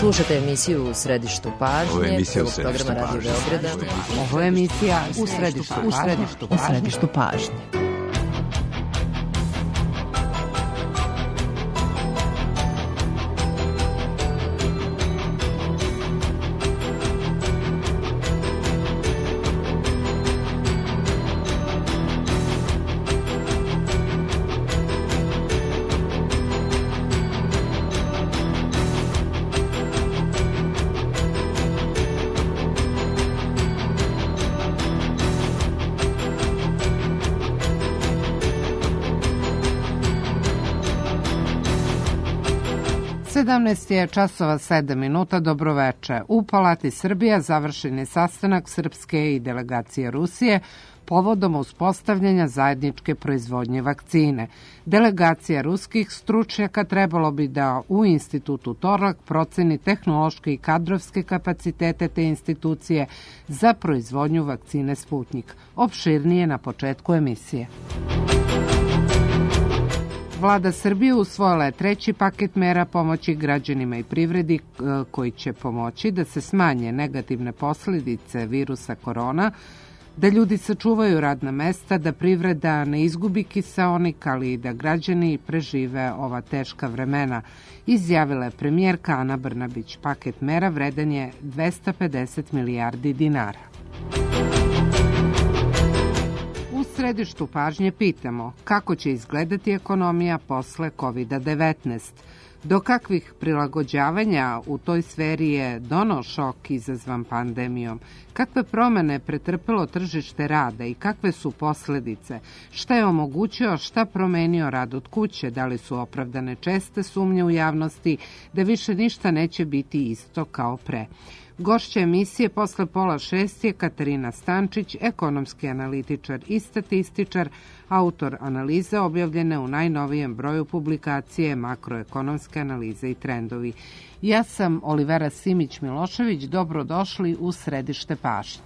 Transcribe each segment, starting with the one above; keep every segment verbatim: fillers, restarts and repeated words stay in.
Slušate emisiju U središtu pažnje. Ovo je emisija U središtu pažnje. Ovo je emisija U središtu pažnje. U središtu pažnje. sedamnaest je časova sedam minuta, dobroveče. U Palati Srbija završen je sastanak Srpske i delegacije Rusije povodom uspostavljanja zajedničke proizvodnje vakcine. Delegacija ruskih stručnjaka trebalo bi da u institutu Torlak proceni tehnološke i kadrovske kapacitete te institucije za proizvodnju vakcine Sputnjik. Opširnije na početku emisije. Vlada Srbije usvojila je treći paket mera pomoći građanima i privredi koji će pomoći da se smanje negativne posljedice virusa korona, da ljudi sačuvaju radna mesta, da privreda ne izgubi kiseonik, ali i da građani prežive ova teška vremena, izjavila je premijerka Ana Brnabić. Paket mera vredan je dvesta pedeset milijardi dinara. U središtu pažnje pitamo kako će izgledati ekonomija posle kovid devetnaest. Do kakvih prilagođavanja u toj sferi je donao šok izazvan pandemijom? Kakve promene pretrpelo tržište rada i kakve su posledice? Šta je omogućio, šta promenio rad od kuće? Da li su opravdane česte sumnje u javnosti da više ništa neće biti isto kao pre? Gošća emisije posle pola šest je Katarina Stančić, ekonomski analitičar i statističar, autor analize objavljene u najnovijem broju publikacije Makroekonomske analize i trendovi. Ja sam Olivera Simić-Milošević, dobrodošli u središte pažnje.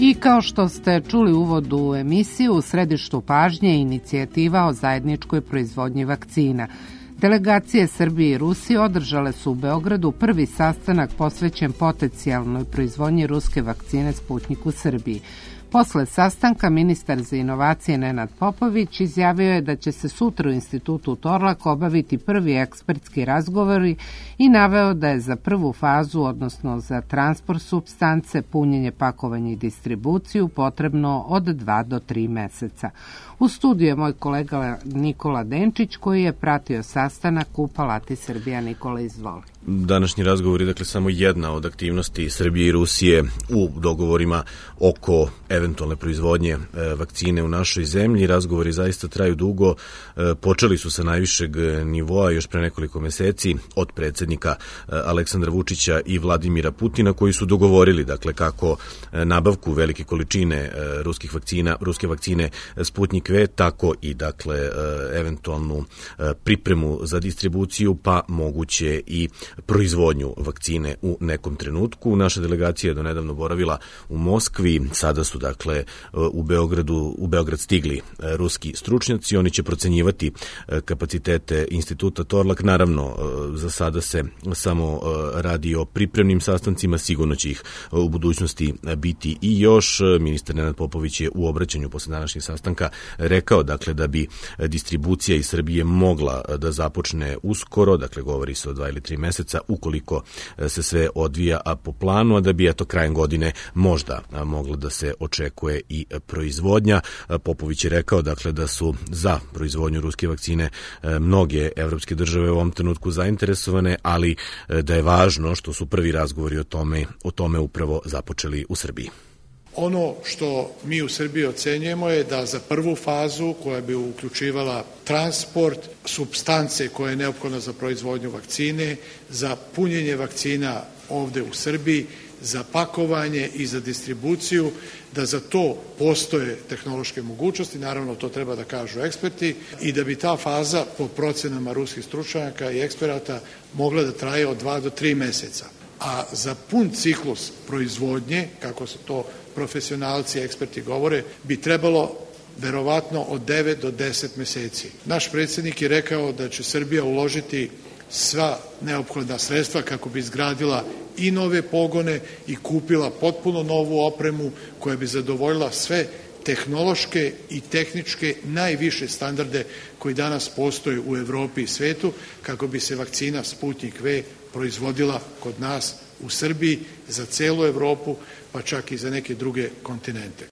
I kao što ste čuli u uvodu u emisiju, u središtu pažnje je inicijativa o zajedničkoj proizvodnji vakcina. Delegacije Srbije i Rusije održale su u Beogradu prvi sastanak posvećen potencijalnoj proizvodnji ruske vakcine Sputnjik u Srbiji. Posle sastanka ministar za inovacije Nenad Popović izjavio je da će se sutra u institutu Torlak obaviti prvi ekspertski razgovori i naveo da je za prvu fazu, odnosno za transport supstance, punjenje, pakovanje i distribuciju potrebno od dva do tri meseca. U studiju je moj kolega Nikola Denčić koji je pratio sastanak u Palati Srbija. Nikola, izvoli. Današnji razgovor je dakle samo jedna od aktivnosti Srbije i Rusije u dogovorima oko eventualne proizvodnje e, vakcine u našoj zemlji. Razgovori zaista traju dugo. E, počeli su sa najvišeg nivoa još pre nekoliko meseci od predsjednika e, Aleksandra Vučića i Vladimira Putina, koji su dogovorili dakle kako e, nabavku velike količine e, ruskih vakcina, ruske vakcine Sputnjik V, tako i dakle e, eventualnu e, pripremu za distribuciju, pa moguće i proizvodnju vakcine u nekom trenutku. Naša delegacija je donedavno boravila u Moskvi, sada su dakle u Beogradu, u Beograd stigli ruski stručnjaci, oni će procenjivati kapacitete instituta Torlak. Naravno, za sada se samo radi o pripremnim sastancima, sigurno će ih u budućnosti biti i još. Ministar Nenad Popović je u obraćanju posle današnjeg sastanka rekao dakle da bi distribucija iz Srbije mogla da započne uskoro, dakle govori se o dva ili tri meseca, ukoliko se sve odvija a po planu, a da bi eto krajem godine možda mogla da se očekuje i proizvodnja. Popović je rekao dakle da su za proizvodnju ruske vakcine mnoge evropske države u ovom trenutku zainteresovane, ali da je važno što su prvi razgovori o tome, o tome upravo započeli u Srbiji. Ono što mi u Srbiji ocenjujemo je da za prvu fazu, koja bi uključivala transport, supstance koje je neophodno za proizvodnju vakcine, za punjenje vakcina ovde u Srbiji za pakovanje i za distribuciju, da za to postoje tehnološke mogućnosti, naravno to treba da kažu eksperti, i da bi ta faza po procenama ruskih stručnjaka i eksperata mogla da traje od dva do tri meseca. A za pun ciklus proizvodnje, kako se to profesionalci i eksperti govore, bi trebalo verovatno od devet do deset meseci. Naš predsjednik je rekao da će Srbija uložiti sva neophodna sredstva kako bi izgradila i nove pogone i kupila potpuno novu opremu koja bi zadovoljila sve tehnološke i tehničke najviše standarde koji danas postoje u Evropi i svetu, kako bi se vakcina Sputnik V proizvodila kod nas u Srbiji za celu Evropu, pa čak i za neke druge kontinente.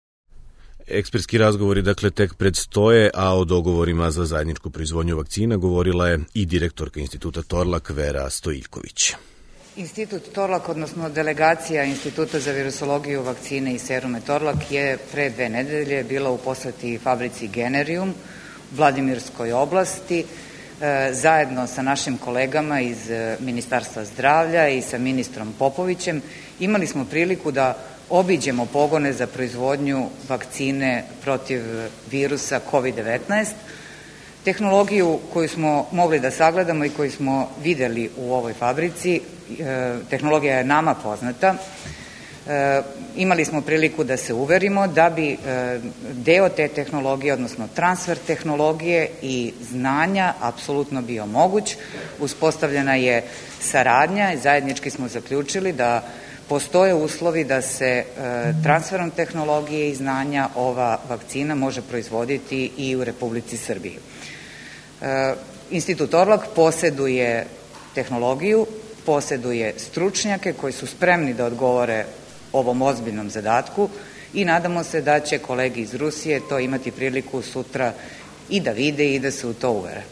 Ekspertski razgovori dakle tek predstoje, a o dogovorima za zajedničku proizvodnju vakcina govorila je i direktorka Instituta Torlak Vera Stojiljković. Institut Torlak, odnosno delegacija Instituta za virusologiju, vakcine i serume Torlak je pre dve nedelje bila u poseti fabrici Generium u Vladimirskoj oblasti, zajedno sa našim kolegama iz Ministarstva zdravlja i sa ministrom Popovićem. Imali smo priliku da obiđemo pogone za proizvodnju vakcine protiv virusa kovid devetnaest. Tehnologiju koju smo mogli da sagledamo i koju smo videli u ovoj fabrici, tehnologija je nama poznata. Imali smo priliku da se uverimo da bi deo te tehnologije, odnosno transfer tehnologije i znanja apsolutno bio moguć. Uspostavljena je saradnja i zajednički smo zaključili da postoje uslovi da se transferom tehnologije i znanja ova vakcina može proizvoditi i u Republici Srbiji. Institut Torlak poseduje tehnologiju, poseduje stručnjake koji su spremni da odgovore ovom ozbiljnom zadatku i nadamo se da će kolegi iz Rusije to imati priliku sutra i da vide i da se u to uvere.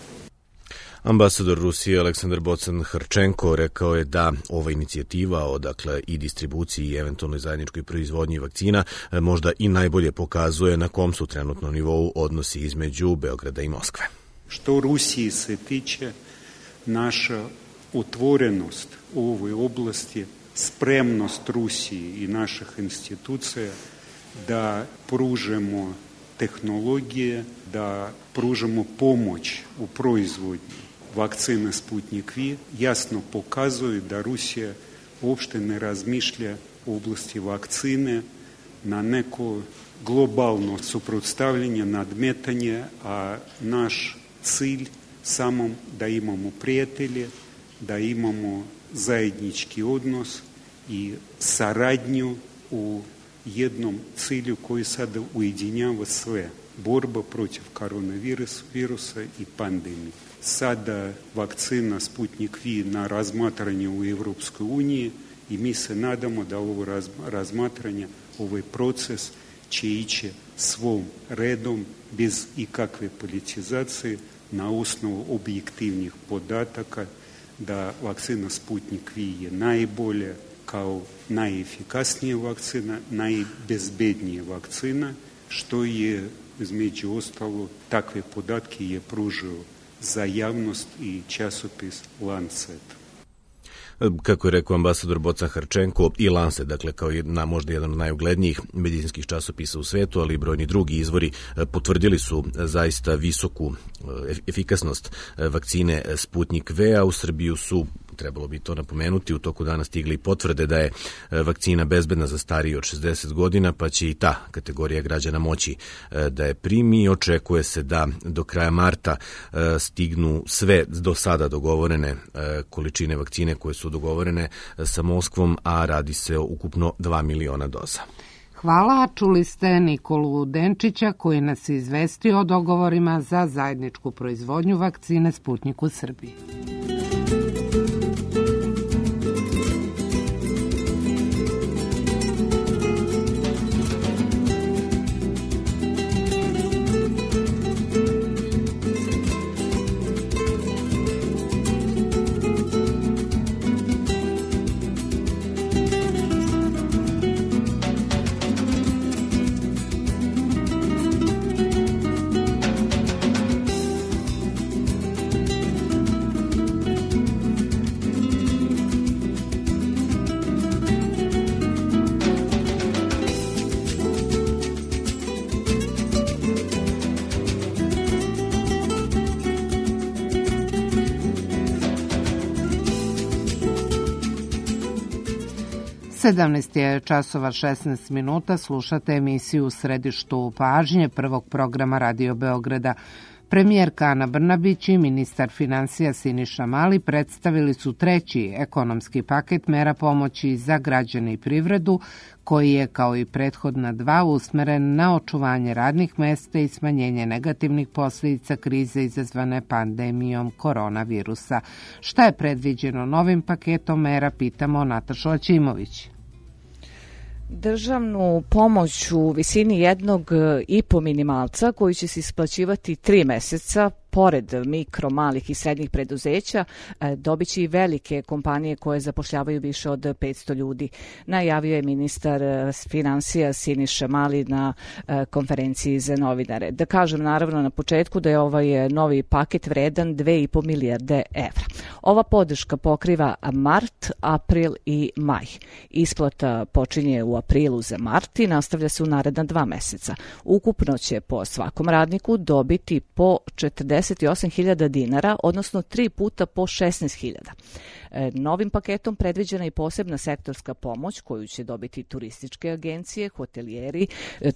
Ambasador Rusije Aleksandar Bocan-Hrčenko rekao je da ova inicijativa o dakle, i distribuciji i eventualnoj zajedničkoj proizvodnji vakcina možda i najbolje pokazuje na kom su trenutno nivou odnosi između Beograda i Moskve. Što Rusiji se tiče, naša otvorenost u ovoj oblasti, spremnost Rusiji i naših institucija da pružemo tehnologije, da pružamo pomoć u proizvodnji vakcine Sputnik V, jasno pokazuju da Rusija uopšte ne razmišlja u oblasti vakcine na neko globalno suprotstavljanje, nadmetanje, a naš cilj samo da imamo prijatelje, da imamo zajednički odnos i saradnju u jednom cilju koji sada ujedinjava sve. Borba protiv koronavirusa i pandemije. Sada vakcina Sputnik V na razmatranje u Evropskoj uniji i mi se nadamo da ovo razmatranje, ovaj proces će ići svom redom bez ikakve politizacije na osnovu objektivnih podataka da vakcina Sputnik V je najbolja kao najefikasnija vakcina, najbezbednija vakcina, što je između ostalo takve podatke je pružio za javnost i časopis Lancet. Kako je rekao ambasador Bocan-Hrčenko, i Lancet, dakle kao jedna, možda jedan od najuglednijih medicinskih časopisa u svetu, ali i brojni drugi izvori potvrdili su zaista visoku efikasnost vakcine Sputnik V, a u Srbiju su, trebalo bi to napomenuti, u toku dana stigli potvrde da je vakcina bezbedna za stariji od šezdeset godina, pa će i ta kategorija građana moći da je primi. Očekuje se da do kraja marta stignu sve do sada dogovorene količine vakcine koje su dogovorene sa Moskvom, a radi se o ukupno dva miliona doza. Hvala, čuli ste Nikolu Denčića koji nas je izvestio o dogovorima za zajedničku proizvodnju vakcine Sputnik u Srbiji. sedamnaest je časova šesnaest minuta, slušate emisiju U središtu pažnje prvog programa Radio Beograda. Premijerka Ana Brnabić i ministar finansija Siniša Mali predstavili su treći ekonomski paket mera pomoći za građane i privredu, koji je, kao i prethodna dva, usmeren na očuvanje radnih mesta i smanjenje negativnih posljedica krize izazvane pandemijom koronavirusa. Šta je predviđeno novim paketom mera, pitamo Natašu Aćimović. Državnu pomoć u visini jednog i po minimalca koji će se isplaćivati tri meseca, pored mikro, malih i srednjih preduzeća, dobit će i velike kompanije koje zapošljavaju više od petsto ljudi. Najavio je ministar finansija Siniša Mali na konferenciji za novinare. Da kažem naravno na početku da je ovaj novi paket vredan dve i po milijarde evra. Ova podrška pokriva mart, april i maj. Isplata počinje u aprilu za mart i nastavlja se u naredna dva meseca. Ukupno će po svakom radniku dobiti po četrdeset osam hiljada dinara, odnosno tri puta po šesnaest hiljada. Novim paketom predviđena je i posebna sektorska pomoć koju će dobiti turističke agencije, hotelijeri,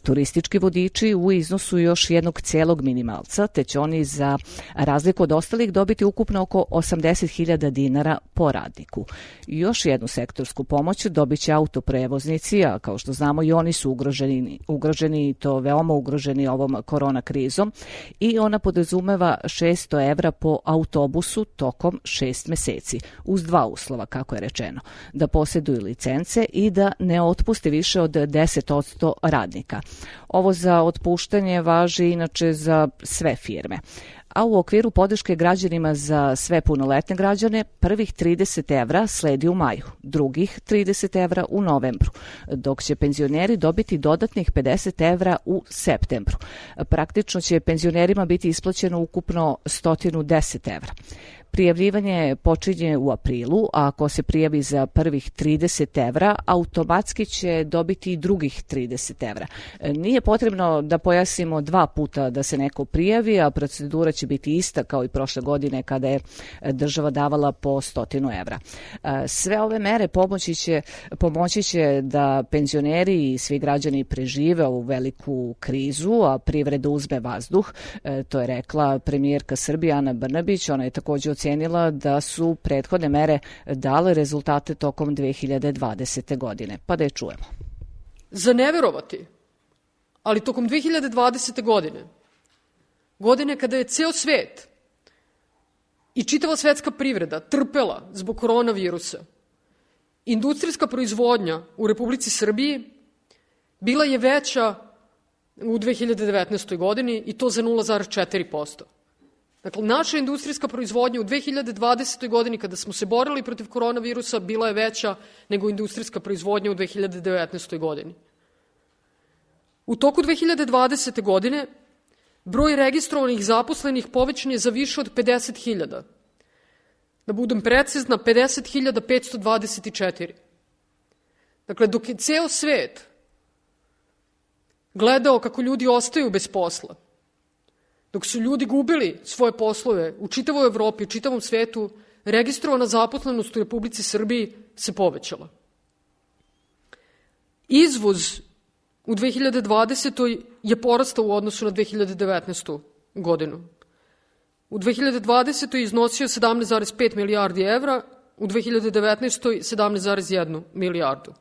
turistički vodiči u iznosu još jednog cijelog minimalca, te će oni za razliku od ostalih dobiti ukupno oko osamdeset hiljada dinara po radniku. Još jednu sektorsku pomoć dobit će autoprevoznici, a kao što znamo i oni su ugroženi, ugroženi i to veoma ugroženi ovom korona krizom, i ona podrazumeva šesto evra po autobusu tokom šest meseci, uz dva uslova, kako je rečeno, da posjeduju licence i da ne otpuste više od deset posto radnika. Ovo za otpuštanje važi inače za sve firme. A u okviru podrške građanima za sve punoletne građane, prvih trideset evra sledi u maju, drugih trideset evra u novembru, dok će penzioneri dobiti dodatnih pedeset evra u septembru. Praktično će penzionerima biti isplaćeno ukupno sto deset evra. Prijavljivanje počinje u aprilu, a ako se prijavi za prvih trideset evra, automatski će dobiti i drugih trideset evra. Nije potrebno da pojasnimo dva puta da se neko prijavi, a procedura će biti ista kao i prošle godine kada je država davala po stotinu evra. Sve ove mere pomoći će, pomoći će da penzioneri i svi građani prežive ovu veliku krizu, a privreda uzme vazduh. To je rekla premijerka Srbije Ana Brnabić. Ona je također ocenila da su prethodne mere dale rezultate tokom dve hiljade dvadesete. godine. Pa da je čujemo. Za neverovati, ali tokom dve hiljade dvadesete. godine, godine kada je ceo svet i čitava svetska privreda trpela zbog koronavirusa, industrijska proizvodnja u Republici Srbiji bila je veća u dve hiljade devetnaestoj. godini i to za nula zarez četiri posto. Dakle, naša industrijska proizvodnja u dve hiljade dvadesetoj. godini, kada smo se borili protiv koronavirusa, bila je veća nego industrijska proizvodnja u dve hiljade devetnaestoj. godini. U toku dve hiljade dvadesete. godine broj registrovanih zaposlenih povećan je za više od pedeset hiljada. Da budem precizna, pedeset hiljada petsto dvadeset četiri. Dakle, dok je ceo svet gledao kako ljudi ostaju bez posla, dok su ljudi gubili svoje poslove u čitavoj Evropi, u čitavom svetu, registrovana zaposlenost u Republici Srbiji se povećala. Izvoz u dve hiljade dvadesetoj. je porastao u odnosu na dve hiljade devetnaestu. godinu. U dve hiljade dvadesetoj. iznosio sedamnaest zarez pet milijardi evra, u dve hiljade devetnaestoj. sedamnaest zarez jednu milijardu.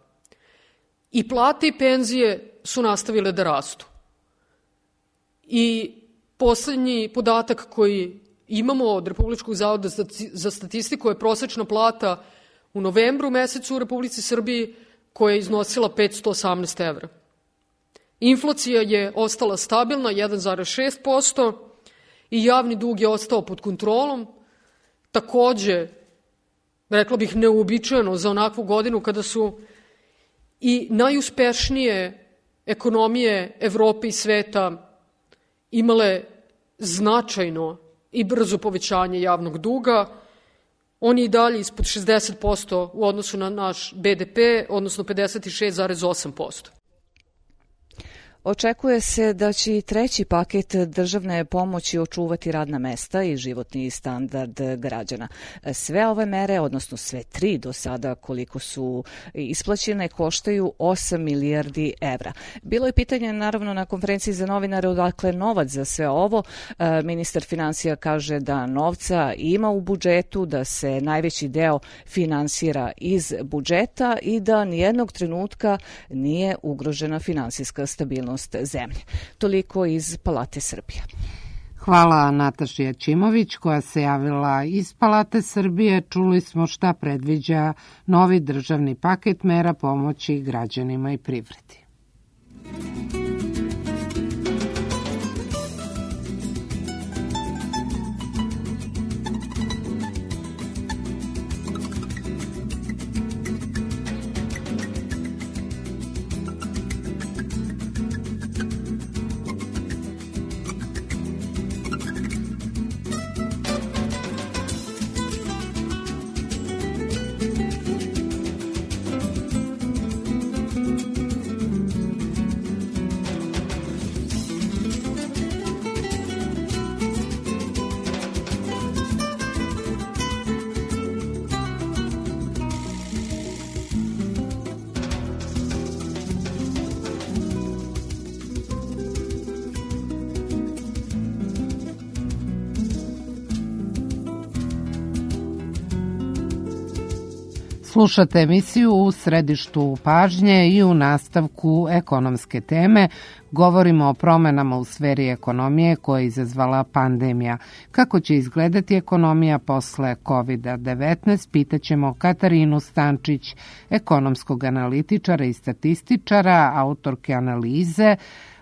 I plate i penzije su nastavile da rastu. I poslednji podatak koji imamo od Republičkog zavoda za statistiku je prosečna plata u novembru mesecu u Republici Srbiji koja je iznosila petsto osamnaest evra. Inflacija je ostala stabilna, jedan zarez šest posto, i javni dug je ostao pod kontrolom. Takođe, rekla bih neuobičajeno za onakvu godinu kada su i najuspešnije ekonomije Evrope i sveta imale značajno i brzo povećanje javnog duga. On je i dalje ispod šezdeset posto u odnosu na naš be de pe, odnosno pedeset šest zarez osam posto. Očekuje se da će i treći paket državne pomoći očuvati radna mesta i životni standard građana. Sve ove mere, odnosno sve tri do sada koliko su isplaćene, koštaju osam milijardi evra. Bilo je pitanje naravno na konferenciji za novinare odakle novac za sve ovo. Ministar finansija kaže da novca ima u budžetu, da se najveći deo finansira iz budžeta i da nijednog trenutka nije ugrožena finansijska stabilnost zemlje. Toliko iz Palate Srbije. Hvala Nataši Jačimović koja se javila iz Palate Srbije. Čuli smo šta predviđa novi državni paket mera pomoći građanima i privredi. Slušate emisiju U središtu pažnje i u nastavku ekonomske teme govorimo o promenama u sferi ekonomije koje je izazvala pandemija. Kako će izgledati ekonomija posle kovid devetnaest, pitaćemo Katarinu Stančić, ekonomskog analitičara i statističara, autorke analize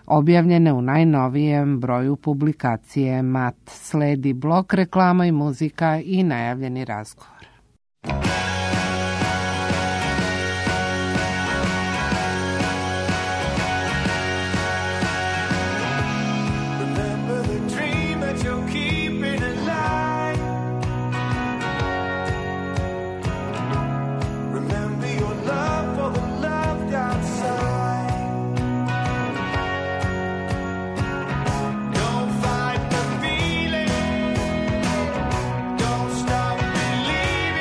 objavljene u najnovijem broju publikacije M A T. Sledi blok reklama i muzika i najavljeni razgovor. Don't stop believing.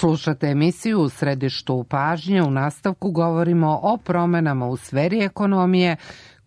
Slušate emisiju U središtu pažnje. U nastavku govorimo o promenama u sferi ekonomije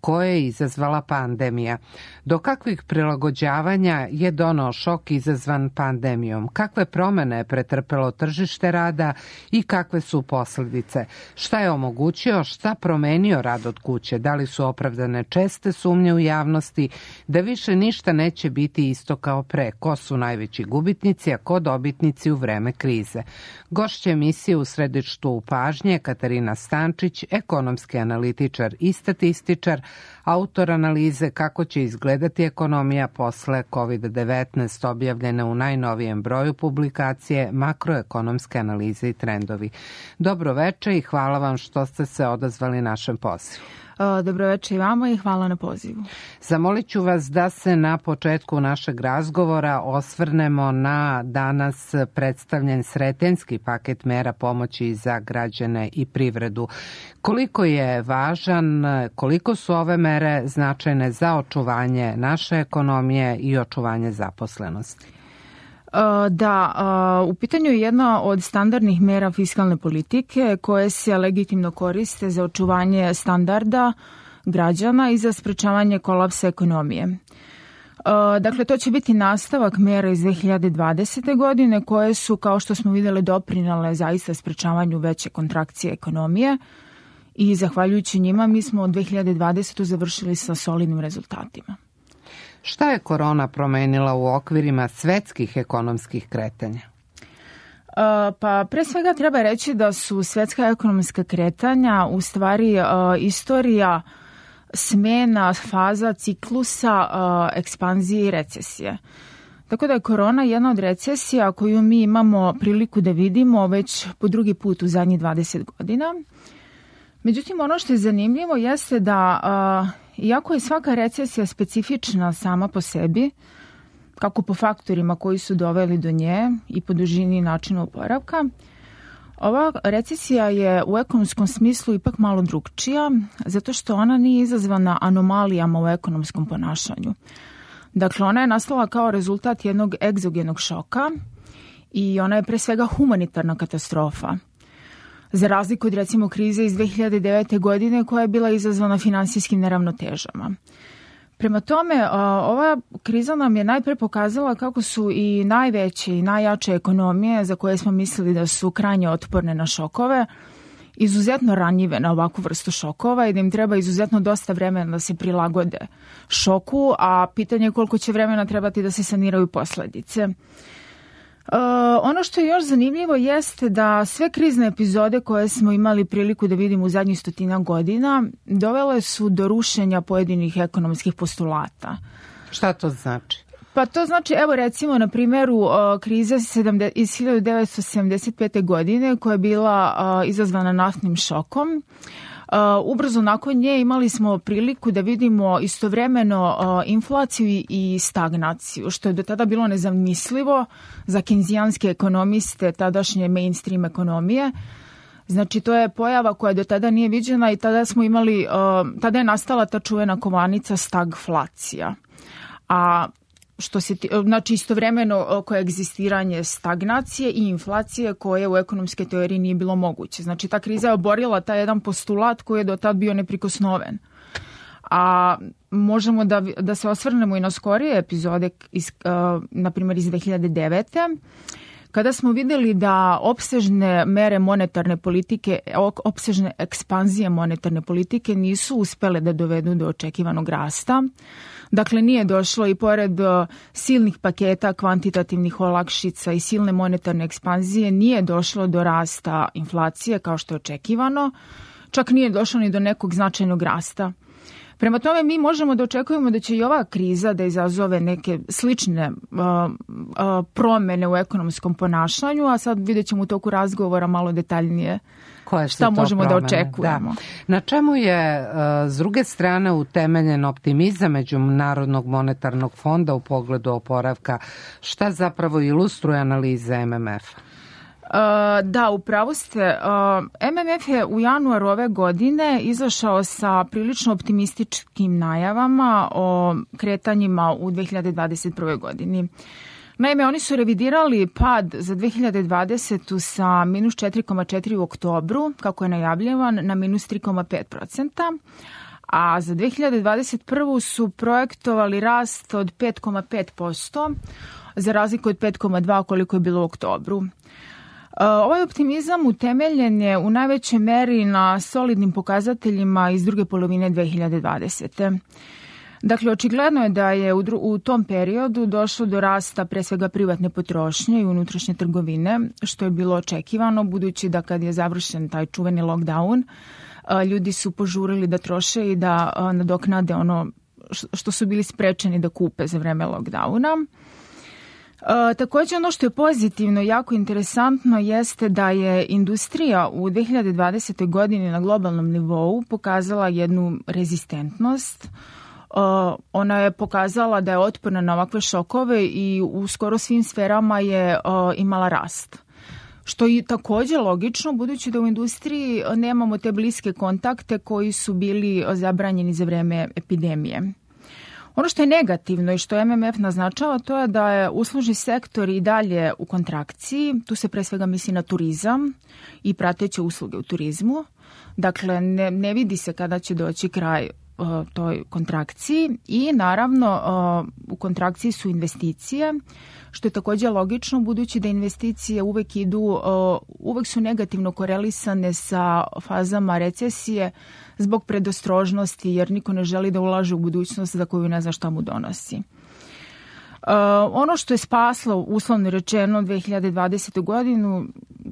koje je izazvala pandemija. Do kakvih prilagođavanja je donao šok izazvan pandemijom? Kakve promene je pretrpelo tržište rada i kakve su posledice? Šta je omogućio, šta promenio rad od kuće? Da li su opravdane česte sumnje u javnosti da više ništa neće biti isto kao pre? Ko su najveći gubitnici, a ko dobitnici u vreme krize? Gošća emisije U središtu pažnje Katarina Stančić, ekonomski analitičar i statističar, autor analize kako će izgledati ekonomija posle kovid devetnaest, objavljena u najnovijem broju publikacije Makroekonomske analize i trendovi. Dobro veče i hvala vam što ste se odazvali našem pozivu. Dobro večer i vama i hvala na pozivu. Zamolit ću vas da se na početku našeg razgovora osvrnemo na danas predstavljen sretenjski paket mera pomoći za građane i privredu. Koliko je važan, koliko su ove mere značajne za očuvanje naše ekonomije i očuvanje zaposlenosti? Da, u pitanju je jedna od standardnih mera fiskalne politike koje se legitimno koriste za očuvanje standarda građana i za sprečavanje kolapsa ekonomije. Dakle, to će biti nastavak mera iz dve hiljade dvadesete. godine koje su, kao što smo vidjeli, doprinale zaista sprečavanju veće kontrakcije ekonomije i zahvaljujući njima mi smo od dve hiljade dvadesete. završili sa solidnim rezultatima. Šta je korona promenila u okvirima svetskih ekonomskih kretanja? Pa pre svega treba reći da su svetska ekonomska kretanja u stvari istorija smena faza ciklusa ekspanzije i recesije. Tako da je korona jedna od recesija koju mi imamo priliku da vidimo već po drugi put u zadnjih dvadeset godina. Međutim, ono što je zanimljivo jeste da iako je svaka recesija specifična sama po sebi, kako po faktorima koji su doveli do nje i po dužini i načinu oporavka, ova recesija je u ekonomskom smislu ipak malo drugčija, zato što ona nije izazvana anomalijama u ekonomskom ponašanju. Dakle, ona je nastala kao rezultat jednog egzogenog šoka i ona je pre svega humanitarna katastrofa. Za razliku od recimo krize iz dve hiljade devete. godine koja je bila izazvana finansijskim neravnotežama. Prema tome, ova kriza nam je najpre pokazala kako su i najveće i najjače ekonomije za koje smo mislili da su krajnje otporne na šokove, izuzetno ranjive na ovakvu vrstu šokova i da im treba izuzetno dosta vremena da se prilagode šoku, a pitanje je koliko će vremena trebati da se saniraju posledice. Uh, ono što je još zanimljivo jeste da sve krizne epizode koje smo imali priliku da vidimo u zadnjih stotina godina dovele su do rušenja pojedinih ekonomskih postulata. Šta to znači? Pa to znači, evo recimo na primjeru uh, krize iz hiljadu devetsto sedamdeset pete. godine koja je bila uh, izazvana naftnim šokom. Uh, ubrzo nakon nje imali smo priliku da vidimo istovremeno uh, inflaciju i stagnaciju, što je do tada bilo nezamislivo za kenzijanske ekonomiste tadašnje mainstream ekonomije. Znači, to je pojava koja do tada nije viđena i tada smo imali, uh, tada je nastala ta čuvena kovanica stagflacija. A što se, znači istovremeno koegzistiranje stagnacije i inflacije koje u ekonomskoj teoriji nije bilo moguće. Znači ta kriza je oborila taj jedan postulat koji je do tad bio neprikosnoven. A možemo da, da se osvrnemo i na skorije epizode, iz, uh, na primjer iz dve hiljade devete. kada smo vidjeli da opsežne mere monetarne politike, opsežne ekspanzije monetarne politike nisu uspele da dovedu do očekivanog rasta. Dakle, nije došlo i pored silnih paketa kvantitativnih olakšica i silne monetarne ekspanzije, nije došlo do rasta inflacije kao što je očekivano, čak nije došlo ni do nekog značajnog rasta. Prema tome, mi možemo da očekujemo da će i ova kriza da izazove neke slične uh, uh, promene u ekonomskom ponašanju, a sad vidjet ćemo u toku razgovora malo detaljnije Koje šta možemo promene? da očekujemo. Da. Na čemu je, uh, s druge strane, utemeljen optimizam Međunarodnog monetarnog fonda u pogledu oporavka? Šta zapravo ilustruje analiza M M F-a? Uh, da, upravo ste. Uh, M M F je u januaru ove godine izašao sa prilično optimističkim najavama o kretanjima u dve hiljade dvadeset prve. godini. Naime, oni su revidirali pad za dve hiljade dvadesetu sa minus četiri zarez četiri u oktobru, kako je najavljivan, na minus tri zarez pet procenta, a za dve hiljade dvadeset prvu su projektovali rast od pet zarez pet posto, za razliku od pet zarez dva koliko je bilo u oktobru. Ovaj optimizam utemeljen je u najvećoj meri na solidnim pokazateljima iz druge polovine dve hiljade dvadesete. Dakle, očigledno je da je u, dru- u tom periodu došlo do rasta pre svega privatne potrošnje i unutrašnje trgovine, što je bilo očekivano, budući da kad je završen taj čuveni lockdown, ljudi su požurili da troše i da nadoknade ono što su bili sprečeni da kupe za vreme lockdowna. E, također ono što je pozitivno i jako interesantno jeste da je industrija u dve hiljade dvadesetoj godini na globalnom nivou pokazala jednu rezistentnost. E, ona je pokazala da je otporna na ovakve šokove i u skoro svim sferama je e, imala rast. Što je također logično, budući da u industriji nemamo te bliske kontakte koji su bili zabranjeni za vreme epidemije. Ono što je negativno i što M M F naznačava, to je da je uslužni sektor i dalje u kontrakciji. Tu se pre svega misli na turizam i prateće usluge u turizmu. Dakle, ne, ne vidi se kada će doći kraj uh, toj kontrakciji i naravno uh, u kontrakciji su investicije, što je također logično budući da investicije uvek idu, uh, uvek su negativno korelisane sa fazama recesije zbog predostrožnosti, jer niko ne želi da ulaže u budućnost za koju ne zna šta mu donosi. Uh, ono što je spaslo, uslovno rečeno, dve hiljade dvadesete godinu,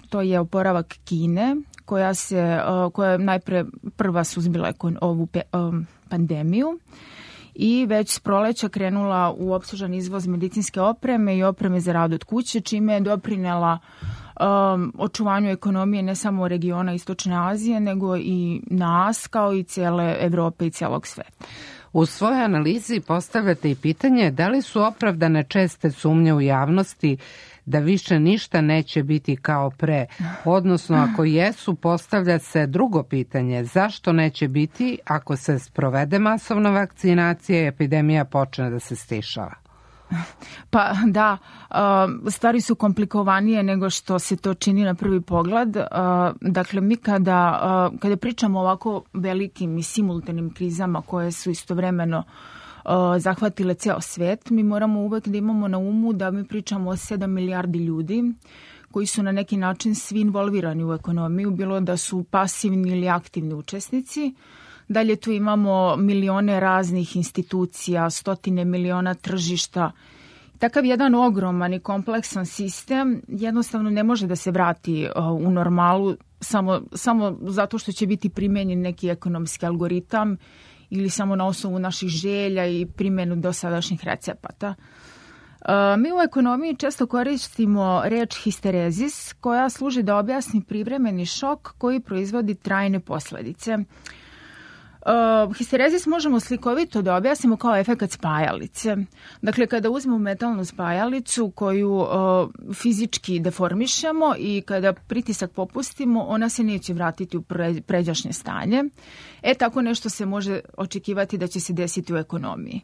to je oporavak Kine, koja se, uh, koja je najpre prva suzbila ovu pe, um, pandemiju i već s proleća krenula u opsežan izvoz medicinske opreme i opreme za rad od kuće, čime je doprinela um, očuvanju ekonomije ne samo regiona Istočne Azije, nego i nas, kao i cijele Evrope i cijelog sveta. U svojoj analizi postavljate i pitanje da li su opravdane česte sumnje u javnosti da više ništa neće biti kao pre, odnosno ako jesu, postavlja se drugo pitanje, zašto neće biti ako se sprovede masovna vakcinacija i epidemija počne da se stišava? Pa da, stvari su komplikovanije nego što se to čini na prvi pogled. Dakle, mi kada, kada pričamo o ovako velikim i simultanim krizama koje su istovremeno zahvatile ceo svet, mi moramo uvek da imamo na umu da mi pričamo o sedam milijardi ljudi koji su na neki način svi involvirani u ekonomiju, bilo da su pasivni ili aktivni učesnici. Dalje tu imamo milione raznih institucija, stotine miliona tržišta. Takav jedan ogroman i kompleksan sistem jednostavno ne može da se vrati u normalu samo, samo zato što će biti primenjen neki ekonomski algoritam ili samo na osnovu naših želja i primjenu dosadašnjih recepata. Mi u ekonomiji često koristimo reč histerezis koja služi da objasni privremeni šok koji proizvodi trajne posledice. Uh, histerezis možemo slikovito da objasnimo kao efekat spajalice. Dakle, kada uzmemo metalnu spajalicu koju uh, fizički deformišemo i kada pritisak popustimo, ona se neće vratiti u pre, pređašnje stanje. E, tako nešto se može očekivati da će se desiti u ekonomiji.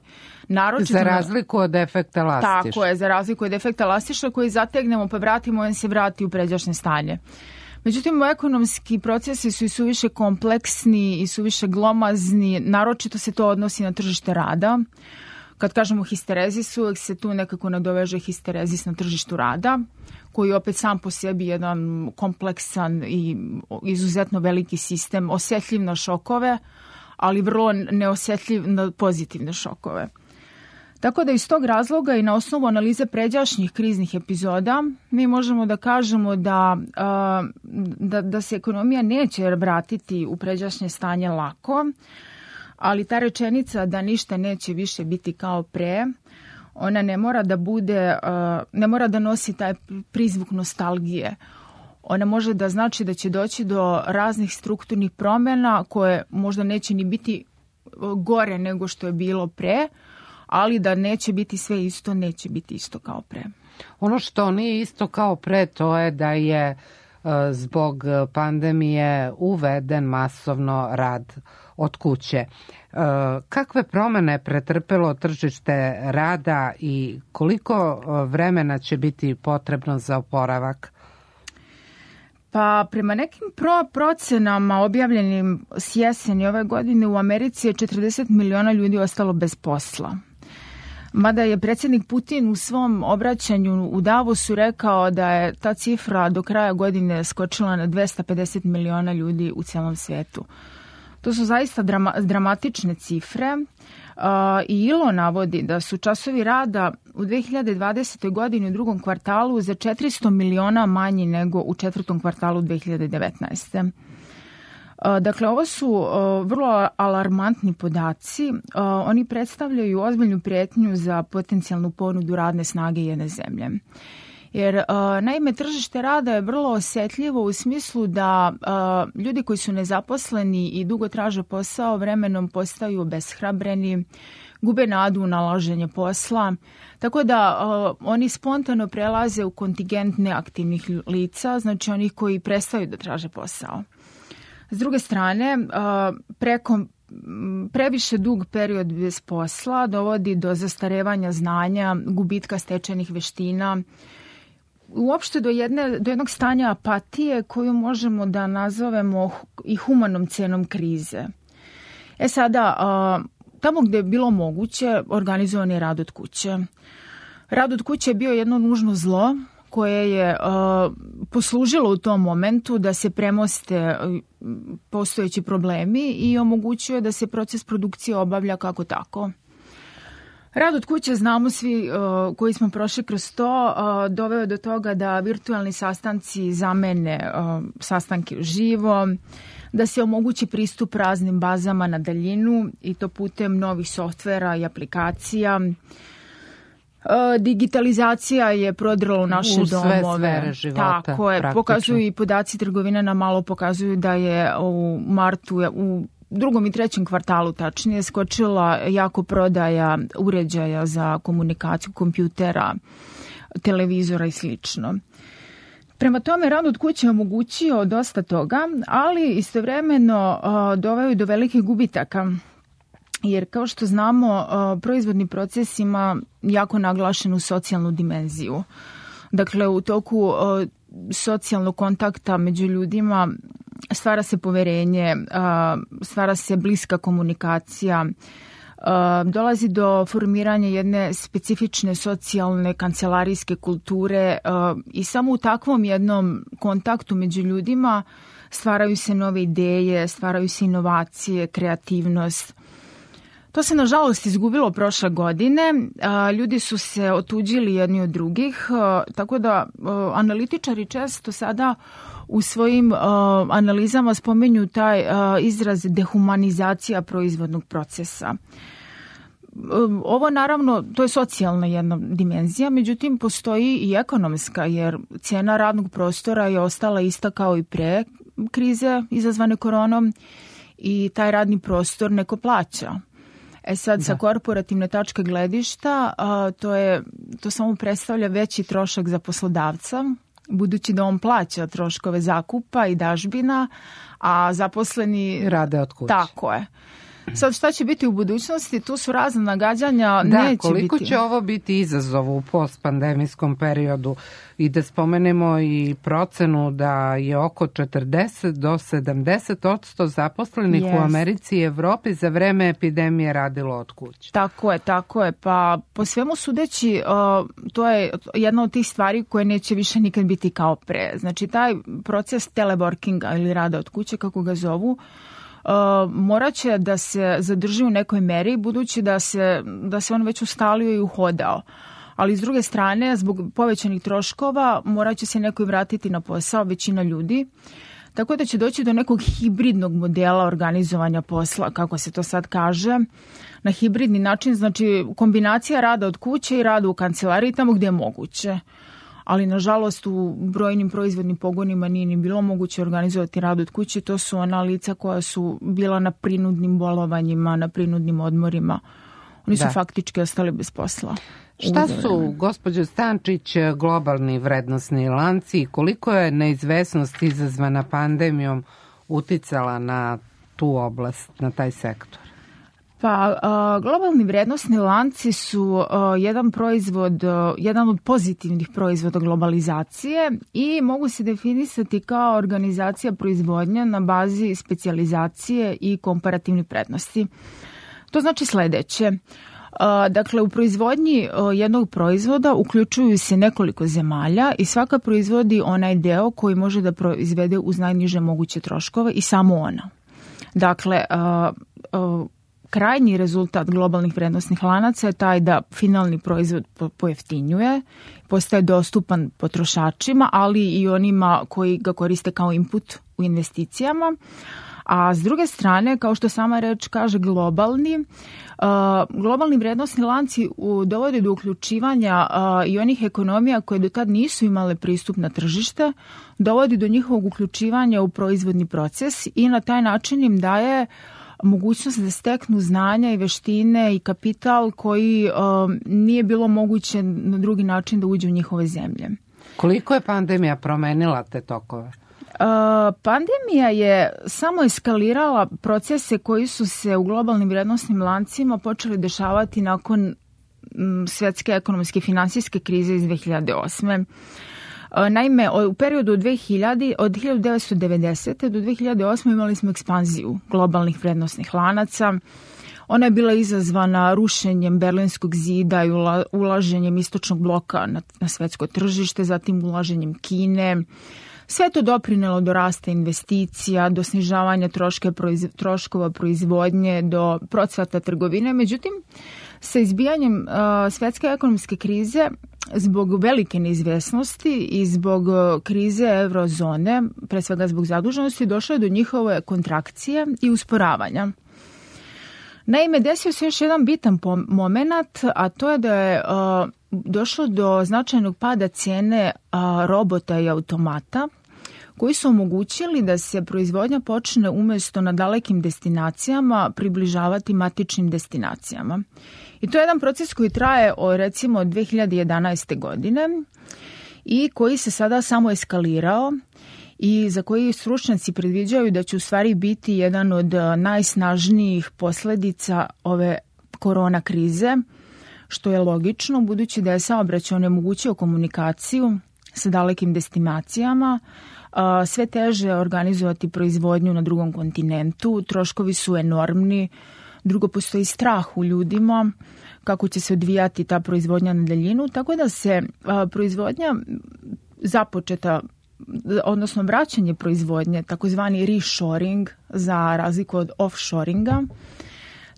Naročito, za razliku od efekta lastiša. Tako je, za razliku od efekta lastiša koji zategnemo pa vratimo, on se vrati u pređašnje stanje. Međutim, ekonomski procesi su i suviše kompleksni i suviše glomazni, naročito se to odnosi na tržište rada. Kad kažemo histerezis, uvek se tu nekako nadoveže histerezis na tržištu rada, koji opet sam po sebi jedan kompleksan i izuzetno veliki sistem, osjetljiv na šokove, ali vrlo neosjetljiv na pozitivne šokove. Tako da iz tog razloga i na osnovu analize pređašnjih kriznih epizoda mi možemo da kažemo da, da, da se ekonomija neće vratiti u pređašnje stanje lako, ali ta rečenica da ništa neće više biti kao pre, ona ne mora da bude, ne mora da nosi taj prizvuk nostalgije. Ona može da znači da će doći do raznih strukturnih promjena koje možda neće ni biti gore nego što je bilo pre, ali da neće biti sve isto, neće biti isto kao pre. Ono što nije isto kao pre, to je da je zbog pandemije uveden masovno rad od kuće. Kakve promene pretrpelo tržište rada i koliko vremena će biti potrebno za oporavak? Pa prema nekim pro procenama objavljenim s jeseni ove godine u Americi je četrdeset miliona ljudi ostalo bez posla. Mada je predsjednik Putin u svom obraćanju u Davosu rekao da je ta cifra do kraja godine skočila na dvesta pedeset miliona ljudi u celom svijetu. To su zaista drama, dramatične cifre uh, i I L O navodi da su časovi rada u dve hiljade dvadesetoj. godini u drugom kvartalu za četiristo miliona manji nego u četvrtom kvartalu dve hiljade devetnaeste. Dakle, ovo su vrlo alarmantni podaci. Oni predstavljaju ozbiljnu prijetnju za potencijalnu ponudu radne snage jedne zemlje. Jer, naime, tržište rada je vrlo osjetljivo u smislu da ljudi koji su nezaposleni i dugo traže posao vremenom postaju obeshrabreni, gube nadu u nalaženje posla, tako da oni spontano prelaze u kontingent neaktivnih lica, znači onih koji prestaju da traže posao. S druge strane, preko, previše dug period bez posla dovodi do zastarevanja znanja, gubitka stečenih veština, uopšte do, jedne, do jednog stanja apatije koju možemo da nazovemo i humanom cenom krize. E sada, tamo gde je bilo moguće, organizovan je rad od kuće. Rad od kuće je bio jedno nužno zlo koje je uh, poslužilo u tom momentu da se premoste postojeći problemi i omogućuje da se proces produkcije obavlja kako tako. Rad od kuće, znamo svi uh, koji smo prošli kroz to, uh, doveo do toga da virtualni sastanci zamene uh, sastanke uživo, da se omogući pristup raznim bazama na daljinu i to putem novih softvera i aplikacija. Digitalizacija je prodrla u naše u sve domove. Sfere života, tako je, pokazuju i podaci trgovine na malo pokazuju da je u martu, u drugom i trećem kvartalu tačnije, skočila jako prodaja uređaja za komunikaciju, kompjutera, televizora i slično. Prema tome, rad od kuće je omogućio dosta toga, ali istovremeno uh, doveo do velikih gubitaka. Jer kao što znamo, proizvodni proces ima jako naglašenu socijalnu dimenziju. Dakle, u toku socijalnog kontakta među ljudima stvara se poverenje, stvara se bliska komunikacija, dolazi do formiranja jedne specifične socijalne kancelarijske kulture i samo u takvom jednom kontaktu među ljudima stvaraju se nove ideje, stvaraju se inovacije, kreativnost. To se nažalost izgubilo prošle godine, ljudi su se otuđili jedni od drugih, tako da analitičari često sada u svojim analizama spomenju taj izraz dehumanizacija proizvodnog procesa. Ovo naravno, to je socijalna jedna dimenzija, međutim postoji i ekonomska, jer cijena radnog prostora je ostala ista kao i pre krize izazvane koronom i taj radni prostor neko plaća. E sad, sa korporativne tačke gledišta, a, to, je, to samo predstavlja veći trošak za poslodavca, budući da on plaća troškove zakupa i dažbina, a zaposleni rade od kuće. Tako je. Sad, šta će biti u budućnosti? Tu su razna nagađanja, da, neće koliko biti. će ovo biti izazov u postpandemijskom periodu i da spomenemo i procenu da je oko četrdeset do sedamdeset odsto zaposlenih yes. u Americi i Evropi za vreme epidemije radilo od kuće. Tako je, tako je. Pa po svemu sudeći, to je jedna od tih stvari koje neće više nikad biti kao pre. Znači, taj proces teleworkinga ili rada od kuće, kako ga zovu, Uh, morat će da se zadrži u nekoj meri, budući da se, da se on već ustalio i uhodao. Ali s druge strane, zbog povećanih troškova, morat će se neko i vratiti na posao, većina ljudi. Tako da će doći do nekog hibridnog modela organizovanja posla, kako se to sad kaže, na hibridni način, znači kombinacija rada od kuće i rada u kancelariji tamo gdje je moguće. Ali, nažalost, u brojnim proizvodnim pogonima nije ni bilo moguće organizovati rad od kuće. To su ona lica koja su bila na prinudnim bolovanjima, na prinudnim odmorima. Oni su da. faktički ostali bez posla. Šta su, gospođo Stančić, globalni vrednosni lanci i koliko je neizvesnost izazvana pandemijom uticala na tu oblast, na taj sektor? Pa, globalni vrednosni lanci su jedan proizvod, jedan od pozitivnih proizvoda globalizacije i mogu se definisati kao organizacija proizvodnje na bazi specijalizacije i komparativne prednosti. To znači sledeće. Dakle, u proizvodnji jednog proizvoda uključuju se nekoliko zemalja i svaka proizvodi onaj deo koji može da proizvede uz najniže moguće troškove i samo ona. Dakle, krajnji rezultat globalnih vrednosnih lanaca je taj da finalni proizvod pojeftinjuje, postaje dostupan potrošačima, ali i onima koji ga koriste kao input u investicijama. A s druge strane, kao što sama reč kaže globalni, uh, globalni vrednosni lanci u, dovode do uključivanja uh, i onih ekonomija koje do tad nisu imale pristup na tržište, dovodi do njihovog uključivanja u proizvodni proces i na taj način im daje mogućnost da steknu znanja i veštine i kapital koji uh, nije bilo moguće na drugi način da uđe u njihove zemlje. Koliko je pandemija promenila te tokove? Uh, pandemija je samo eskalirala procese koji su se u globalnim vrednosnim lancima počeli dešavati nakon m, svetske ekonomske i finansijske krize iz dve hiljade osme. Uh, naime, u periodu od, dve hiljade, od hiljadu devetsto devedesete. do dve hiljade osme. imali smo ekspanziju globalnih vrednosnih lanaca. Ona je bila izazvana rušenjem Berlinskog zida i ula, ulaženjem istočnog bloka na, na svetsko tržište, zatim ulaženjem Kine. Sve to doprinelo do rasta investicija, do snižavanja troške, proiz, troškova proizvodnje, do procvata trgovine. Međutim, sa izbijanjem uh, svetske ekonomske krize, zbog velike neizvesnosti i zbog uh, krize eurozone, pre svega zbog zaduženosti, došlo je do njihove kontrakcije i usporavanja. Naime, desio se još jedan bitan moment, a to je da je uh, došlo do značajnog pada cijene uh, robota i automata, koji su omogućili da se proizvodnja počne umjesto na dalekim destinacijama približavati matičnim destinacijama. I to je jedan proces koji traje od recimo dve hiljade jedanaeste. godine i koji se sada samo eskalirao i za koji stručnjaci predviđaju da će u stvari biti jedan od najsnažnijih posljedica ove korona krize, što je logično budući da je saobraćaj onemogućio komunikaciju sa dalekim destinacijama, sve teže organizovati proizvodnju na drugom kontinentu, troškovi su enormni, drugo postoji strah u ljudima kako će se odvijati ta proizvodnja na daljinu, tako da se proizvodnja započeta, odnosno vraćanje proizvodnje, takozvani reshoring za razliku od offshoringa,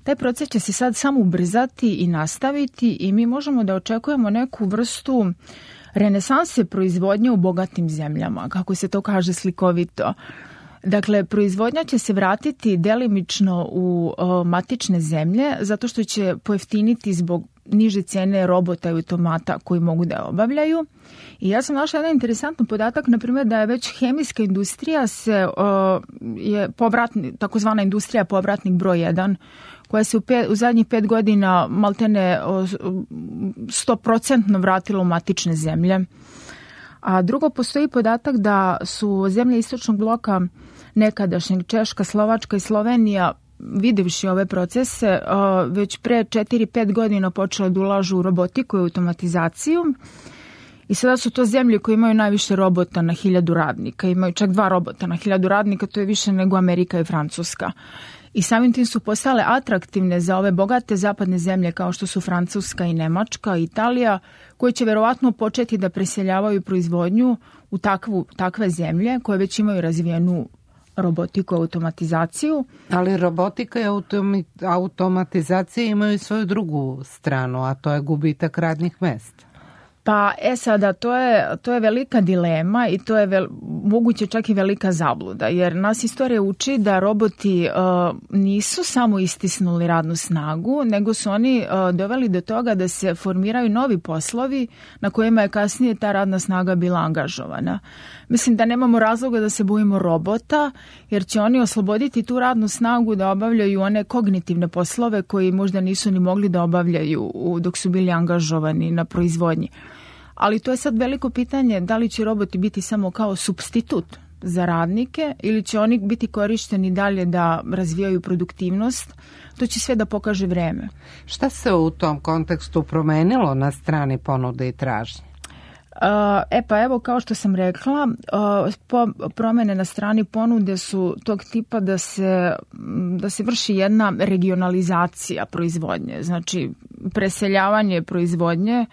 taj proces će se sad samo ubrzati i nastaviti i mi možemo da očekujemo neku vrstu renesanse proizvodnje u bogatim zemljama, kako se to kaže slikovito. Dakle, proizvodnja će se vratiti delimično u o, matične zemlje zato što će pojeftiniti zbog niže cijene robota i automata koji mogu da obavljaju. I ja sam našla jedan interesantan podatak, na primjer da je već hemijska industrija se o, je povratni, takozvana industrija povratnik broj jedan, koja se u, pet, u zadnjih pet godina maltene sto procentno vratila u matične zemlje. A drugo, postoji podatak da su zemlje istočnog bloka nekadašnjeg Češka, Slovačka i Slovenija, videvši ove procese, već pre četiri pet godina počele da ulažu u robotiku i automatizaciju. I sada su to zemlje koje imaju najviše robota na hiljadu radnika. Imaju čak dva robota na hiljadu radnika, to je više nego Amerika i Francuska. I samim tim su postale atraktivne za ove bogate zapadne zemlje kao što su Francuska i Nemačka i Italija, koje će verovatno početi da preseljavaju proizvodnju u takvu, takve zemlje koje već imaju razvijenu robotiku i automatizaciju. Ali robotika i automi, automatizacija imaju svoju drugu stranu, a to je gubitak radnih mesta. Pa, e sada, to je, to je velika dilema i to je vel, moguće čak i velika zabluda, jer nas istorija uči da roboti uh, nisu samo istisnuli radnu snagu, nego su oni uh, doveli do toga da se formiraju novi poslovi na kojima je kasnije ta radna snaga bila angažovana. Mislim da nemamo razloga da se bojimo robota, jer će oni osloboditi tu radnu snagu da obavljaju one kognitivne poslove koji možda nisu ni mogli da obavljaju dok su bili angažovani na proizvodnji. Ali to je sad veliko pitanje da li će roboti biti samo kao supstitut za radnike ili će oni biti korišteni dalje da razvijaju produktivnost. To će sve da pokaže vreme. Šta se u tom kontekstu promenilo na strani ponude i tražnje? E pa evo, kao što sam rekla, promene na strani ponude su tog tipa da se, da se vrši jedna regionalizacija proizvodnje, znači preseljavanje proizvodnje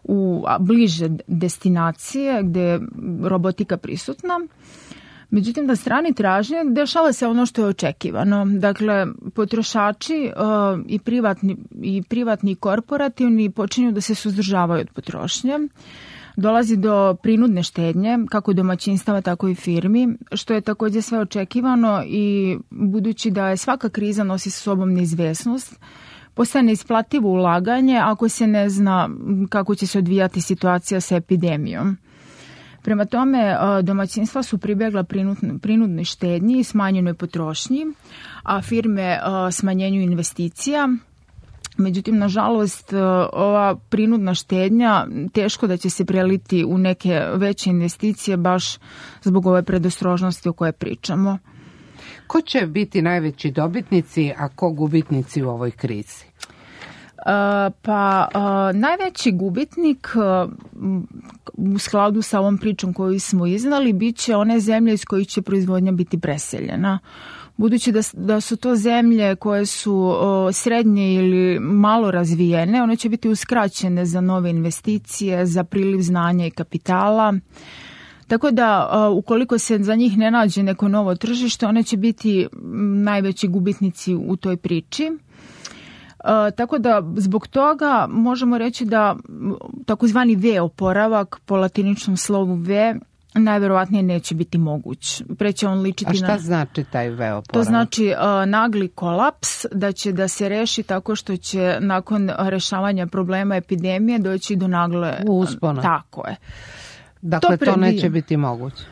u bliže destinacije gde je robotika prisutna. Međutim, na strani tražnje dešava se ono što je očekivano. Dakle, potrošači uh, i, privatni, i privatni i korporativni počinju da se suzdržavaju od potrošnje. Dolazi do prinudne štednje, kako domaćinstava, tako i firmi, što je takođe sve očekivano i budući da je svaka kriza nosi sa sobom neizvesnost, postaje neisplativo ulaganje ako se ne zna kako će se odvijati situacija sa epidemijom. Prema tome, domaćinstva su pribjegla prinudnoj štednji i smanjenoj potrošnji, a firme smanjenju investicija. Međutim, nažalost, ova prinudna štednja teško da će se preliti u neke veće investicije baš zbog ove predostrožnosti o kojoj pričamo. Ko će biti najveći dobitnici, a ko gubitnici u ovoj krizi? Uh, pa uh, najveći gubitnik uh, u skladu sa ovom pričom koju smo iznali bit će one zemlje iz kojih će proizvodnja biti preseljena. Budući da, da su to zemlje koje su uh, srednje ili malo razvijene, one će biti uskraćene za nove investicije, za priliv znanja i kapitala. Tako da, uh, ukoliko se za njih ne nađe neko novo tržište, one će biti najveći gubitnici u toj priči. Uh, tako da zbog toga možemo reći da takozvani V oporavak po latiničnom slovu V najverovatnije neće biti moguć. Preće on ličiti na... A šta na... znači taj V oporavak? To znači uh, nagli kolaps, da će da se reši tako što će nakon rešavanja problema epidemije doći do nagle... Uspona. Tako je. Dakle, to, to neće biti moguće.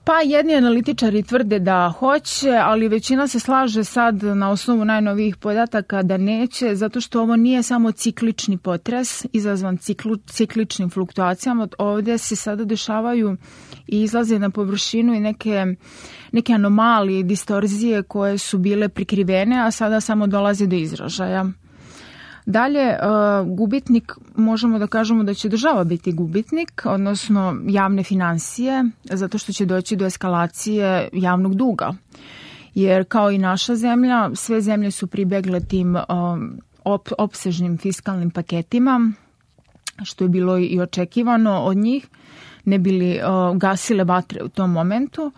Pa jedni analitičari tvrde da hoće, ali većina se slaže sad na osnovu najnovijih podataka da neće, zato što ovo nije samo ciklični potres izazvan ciklu, cikličnim fluktuacijama. Ovdje se sada dešavaju i izlaze na površinu i neke, neke anomalije, distorzije koje su bile prikrivene, a sada samo dolaze do izražaja. Dalje, gubitnik, možemo da kažemo da će država biti gubitnik, odnosno javne finansije, zato što će doći do eskalacije javnog duga. Jer kao i naša zemlja, sve zemlje su pribegle tim op, opsežnim fiskalnim paketima, što je bilo i očekivano od njih, ne bili gasile vatre u tom momentu.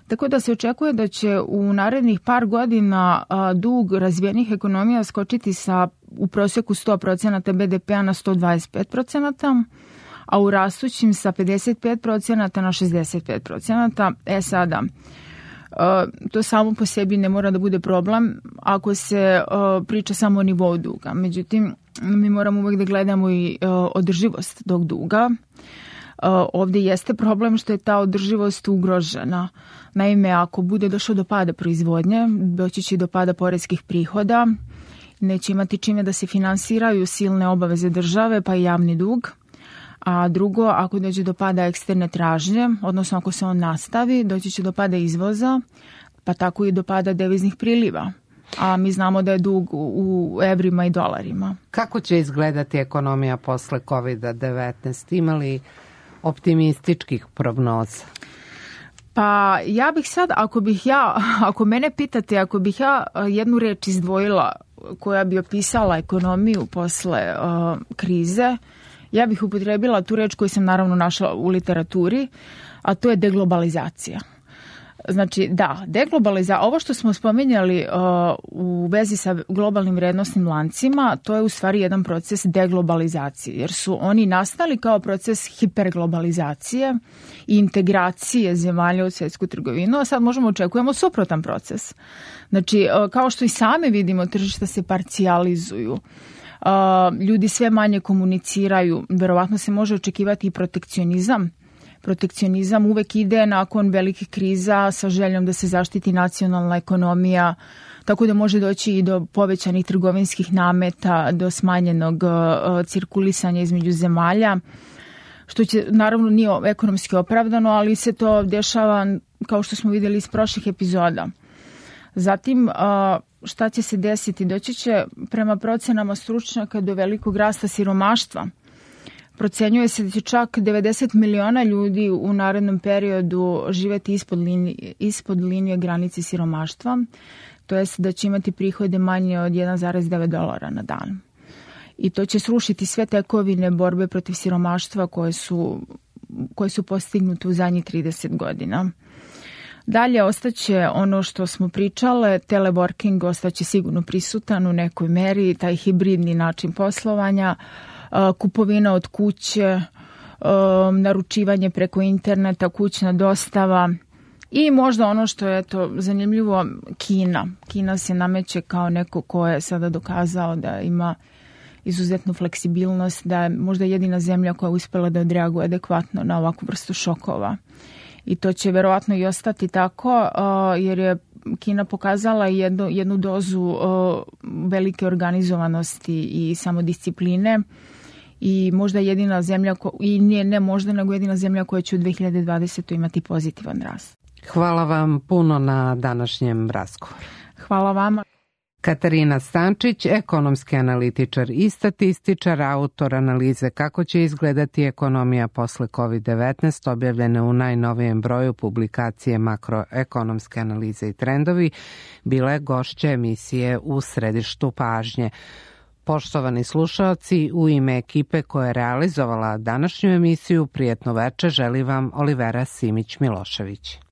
Tako da se očekuje da će u narednih par godina a, dug razvijenih ekonomija skočiti sa u prosjeku sto procenata B D P-a na sto dvadeset pet procenata, a u rastućim sa pedeset pet procenata na šezdeset pet procenata. E sada, a, to samo po sebi ne mora da bude problem ako se a, priča samo o nivou duga. Međutim, mi moramo uvek da gledamo i a, održivost tog duga. Ovdje jeste problem što je ta održivost ugrožena. Naime, ako bude došlo do pada proizvodnje, doći će do pada poreskih prihoda, neće imati čime da se finansiraju silne obaveze države, pa i javni dug. A drugo, ako dođe do pada eksterne tražnje, odnosno ako se on nastavi, doći će do pada izvoza, pa tako i do pada deviznih priliva. A mi znamo da je dug u evrima i dolarima. Kako će izgledati ekonomija posle kovid devetnaest? Ima li optimističkih prognoza? Pa ja bih sad, ako bih ja, ako mene pitate, ako bih ja jednu reč izdvojila koja bi opisala ekonomiju posle uh, krize, ja bih upotrebila tu reč koju sam naravno našla u literaturi, a to je deglobalizacija. Znači, da, deglobalizacija, ovo što smo spominjali uh, u vezi sa globalnim vrednostnim lancima, to je u stvari jedan proces deglobalizacije, jer su oni nastali kao proces hiperglobalizacije i integracije zemalja u svjetsku trgovinu, a sad možemo očekujemo suprotan proces. Znači, uh, kao što i sami vidimo, tržišta se parcijalizuju, uh, ljudi sve manje komuniciraju, verovatno se može očekivati i protekcionizam. Protekcionizam uvek ide nakon velikih kriza sa željom da se zaštiti nacionalna ekonomija, tako da može doći i do povećanih trgovinskih nameta, do smanjenog uh, cirkulisanja između zemalja, što će naravno nije ekonomski opravdano, ali se to dešava kao što smo vidjeli iz prošlih epizoda. Zatim, uh, šta će se desiti? Doći će prema procenama stručnjaka do velikog rasta siromaštva. Procenjuje se da će čak devedeset miliona ljudi u narednom periodu živeti ispod linije, ispod linije granice siromaštva, to jest da će imati prihode manje od jedan zarez devet dolara na dan. I to će srušiti sve tekovine borbe protiv siromaštva koje su, koje su postignute u zadnjih trideset godina. Dalje ostaće ono što smo pričale, teleworking ostaće sigurno prisutan u nekoj meri, taj hibridni način poslovanja, kupovina od kuće, naručivanje preko interneta, kućna dostava i možda ono što je to zanimljivo, Kina. Kina se nameće kao neko ko je sada dokazao da ima izuzetnu fleksibilnost, da je možda jedina zemlja koja je uspela da odreaguje adekvatno na ovakvu vrstu šokova. I to će verovatno i ostati tako, jer je Kina pokazala jednu, jednu dozu velike organizovanosti i samodiscipline i možda jedina zemlja, ko, i nije ne možda, nego jedina zemlja koja će u dve hiljade dvadesetoj imati pozitivan rast. Hvala vam puno na današnjem razgovoru. Hvala vama. Katarina Stančić, ekonomski analitičar i statističar, autor analize Kako će izgledati ekonomija posle kovid devetnaest, objavljene u najnovijem broju publikacije Makroekonomske analize i trendovi, bila je gošća emisije U središtu pažnje. Poštovani slušaoci, u ime ekipe koja je realizovala današnju emisiju, prijetno veče želi vam Olivera Simić-Milošević.